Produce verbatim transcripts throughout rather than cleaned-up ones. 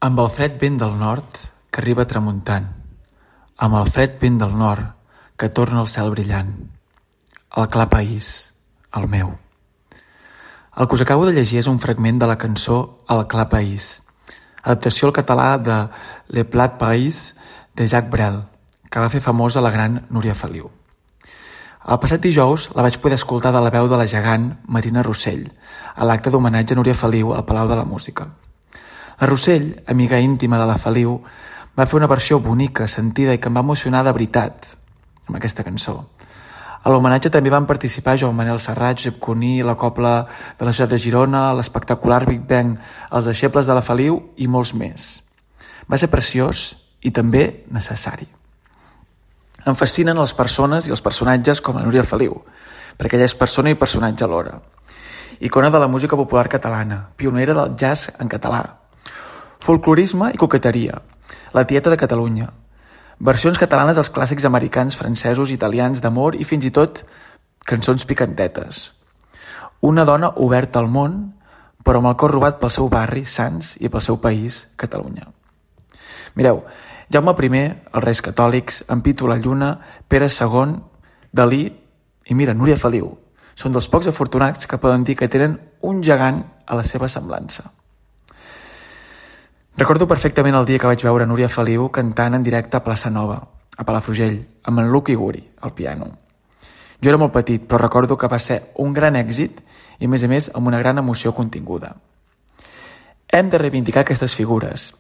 Amb el fred vent del nord que arriba tramuntant, amb el fred vent del nord que torna al cel brillant, el clar país, el meu. El que us acabo de llegir és un fragment de la cançó El clar país, adaptació al català de Le Plat País de Jacques Brel, que va fer famosa la gran Núria Feliu. El passat dijous la vaig poder escoltar de la veu de la gegant Marina Rossell a l'acte d'homenatge a Núria Feliu al Palau de la Música. La Rossell, amiga íntima de la Feliu, va fer una versió bonica, sentida i que em va emocionar de veritat amb aquesta cançó. A l'homenatge també van participar Joan Manel Serrat, Josep Cuní, la Cobla de la ciutat de Girona, l'espectacular Big Bang, els deixebles de la Feliu i molts més. Va ser preciós i també necessari. Em fascinen les persones i els personatges com la Núria Feliu, perquè ella és persona i personatge alhora. Icona de la música popular catalana, pionera del jazz en català, folclorisme i coqueteria, la tieta de Catalunya, versions catalanes dels clàssics americans, francesos, italians, d'amor i fins i tot cançons picantetes. Una dona oberta al món, però amb el cor robat pel seu barri, Sants, i pel seu país, Catalunya. Mireu, Jaume primer, els Reis Catòlics, en Pitu la Lluna, Pere segon, Dalí i mira, Núria Feliu. Són dels pocs afortunats que poden dir que tenen un gegant a la seva semblança. Recordo perfectament el dia que vaig veure Núria Feliu cantant en directe a Plaça Nova, a Palafrugell, amb en Luc Iguri, al piano. Jo era molt petit, però recordo que va ser un gran èxit i, a més a més, amb una gran emoció continguda. Hem de reivindicar aquestes figures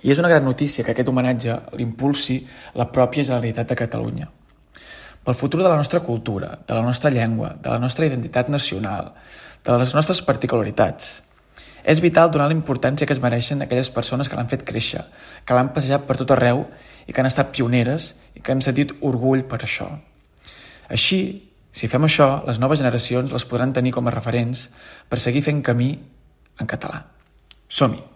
i és una gran notícia que aquest homenatge l'impulsi la pròpia Generalitat de Catalunya. Pel futur de la nostra cultura, de la nostra llengua, de la nostra identitat nacional, de les nostres particularitats, és vital donar la importància que es mereixen aquelles persones que l'han fet créixer, que l'han passejat per tot arreu i que han estat pioneres i que han sentit orgull per això. Així, si fem això, les noves generacions les podran tenir com a referents per seguir fent camí en català. Som-hi!